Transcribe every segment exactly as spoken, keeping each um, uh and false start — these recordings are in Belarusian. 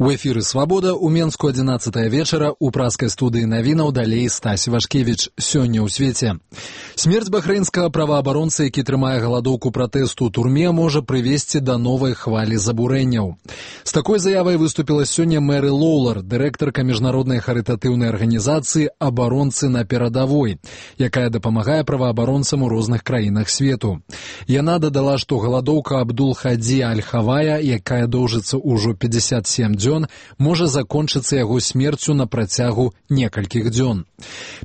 У эфіры «Свабода» у Менску адзінаццатая вечара у праскай студыі навінаў далей Стась Вашкевіч. Сёння ў свеце. Смерць бахрэйнскага праваабаронцы, які трымае галадоўку пратэсту ў турме, можа прывесці да новай хвалі забурэнняў. З такой заявай выступіла сёння Мэры Лоўлар, дырэктарка міжнароднай харытатыўнай арганізацыі «Абаронцы на перадавой», якая дапамагае праваабаронцам у розных краінах свету. Яна дадала, што галадоўка Абдул-Хадзі Аль-Хавая, якая доўжыцца ўжо пятьдесят семь дзён, можа закончыцца яго смерцю на працягу некалькіх дзён.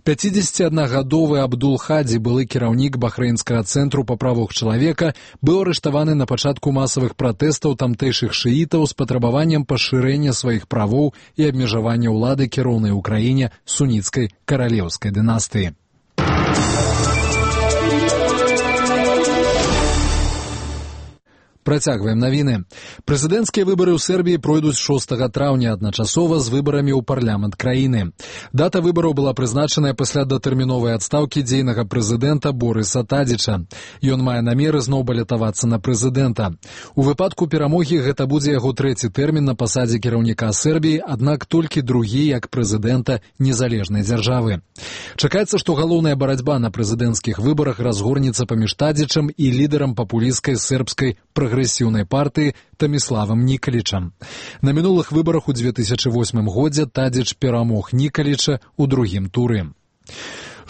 пяцідзесятиаднагадовы Абдул-Хадзі, былы кіраўнік бахрэйнскага цэнтру па правах чалавека, быў арыштаваны на пачатку масавых пратэстаў тамтэйшых шыітаў з патрабаваннем пашырэння сваіх правоў і абмежавання ўлады кіроўнай у краіне суніцкай каралеўскай дынастыі. Працягваем навіны. Прэзідэнцкія выбары ў Сербіі пройдуць шостага траўня адначасова з выбарамі ў парламент краіны. Дата выбараў была прызначаная пасля датэрміновай адстаўкі дзейнага прэзідэнта Борыса Тадзіча. Ён мае намеры зноў балятавацца на прэзідэнта. У выпадку перамогі гэта будзе яго трэці тэрмін на пасадзе кіраўніка Сербіі, аднак толькі другі як прэзідэнта незалежнай дзяржавы. Чакаецца, што галоўная барацьба на прэзідэнцкіх выбарах разгорнецца паміж Тадзічам і лідарам папулісцкай сербскай прагрэсіўнай партыі Таміславам Нікалічам. На мінулых выбарах у две тысячи восьмым годзе Тадзіч перамог Нікаліча ў другім туры.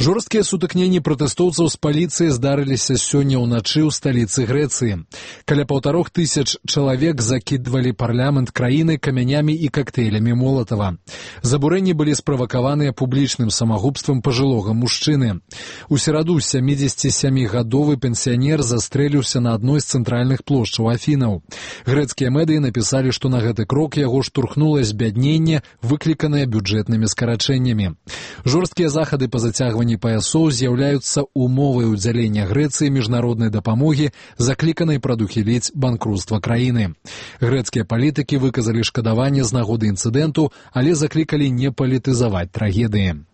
Жорсткія сутыкненні пратэстоўцаў з паліцыяй здарыліся сёння ўначы ў сталіцы Грэцыі. Каля паўтарох тысяч чалавек закідвалі парламент краіны камянямі і кактэйлямі Молатава. Забурэнні былі справакаваныя публічным самагубствам пажылога мужчыны. У сераду сямідзесятисямігадовы пенсіянер застрэліўся на адной з цэнтральных плошчаў Афінаў. Грэцкія медыі напісалі, што на гэты крок яго штурхнула збядненне, выкліканае бюджэтнымі скарачэннямі. Жорсткія захады па зацягванні паясоў з'яўляюцца умовай удзялення Грэцыі міжнароднай дапамогі, закліканай прадухіліць банкруцтва краіны. Грэцкія палітыкі выказалі шкадаванне з нагоды інцыдэнту, але заклікалі не палітызаваць трагедыі.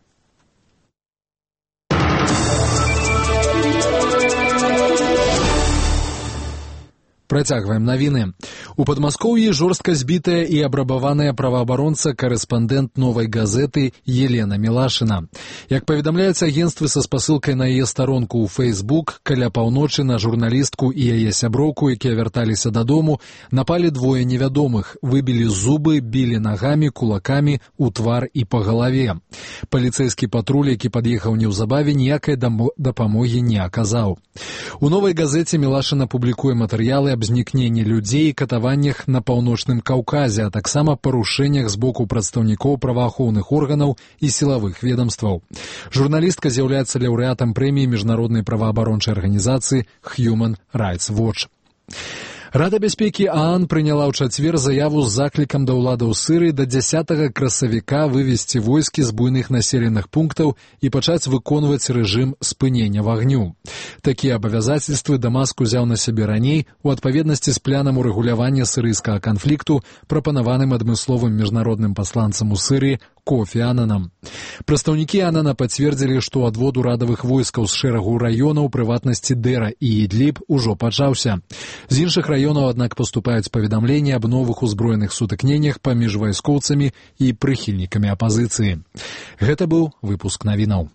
Працягваем навіны. У Падмаскоўі жорстка збітая і абрабаваная праваабаронца, карэспандэнт «Новай газеты» Елена Мілашына. Як паведамляюць агенцтвы са спасылкай на яе старонку ў Фейсбук, каля паўночы на журналістку і яе сяброўку, якія вярталіся дадому, напалі двое невядомых, выбілі зубы, білі нагамі, кулакамі ў твар і па галаве. Паліцэйскі патруль, які пад'ехаў неўзабаве, ніякай дапамогі не аказаў. У «Новай газеце» Мілашына публікуе матэрыялы аб знікненні людзей і катаваннях на паўночным Каўказе, а таксама парушэннях з боку прадстаўнікоў праваахоўных органаў і сілавых ведомстваў. Журналістка з'яўляецца лаўрэатам прэміі міжнароднай праваабарончай арганізацыі Human Rights Watch. Рада бяспекі ААН прыняла ў чацвер заяву з заклікам да ўладаў Сырыі да дзясятага красавіка вывесці войскі з буйных населеных пунктаў і пачаць выконваць рэжым спынення вагню. Такія абавязацельствы Дамаск узяў на сябе раней у адпаведнасці з планам урэгулявання сырыйскага канфлікту, прапанаваным адмысловым міжнародным пасланцам у Сырыі Кофі Ананам. Прадстаўнікі Анана пацвердзілі, што адвод урадавых войскаў з шэрагу раёнаў, прыватнасці Дэра і Ідліб, ужо пачаўся. З іншых раёнаў, аднак, паступаюць паведамленні аб новых узброеных сутыкненнях паміж вайскоўцамі і прыхільнікамі апазіцыі. Гэта быў выпуск навінаў.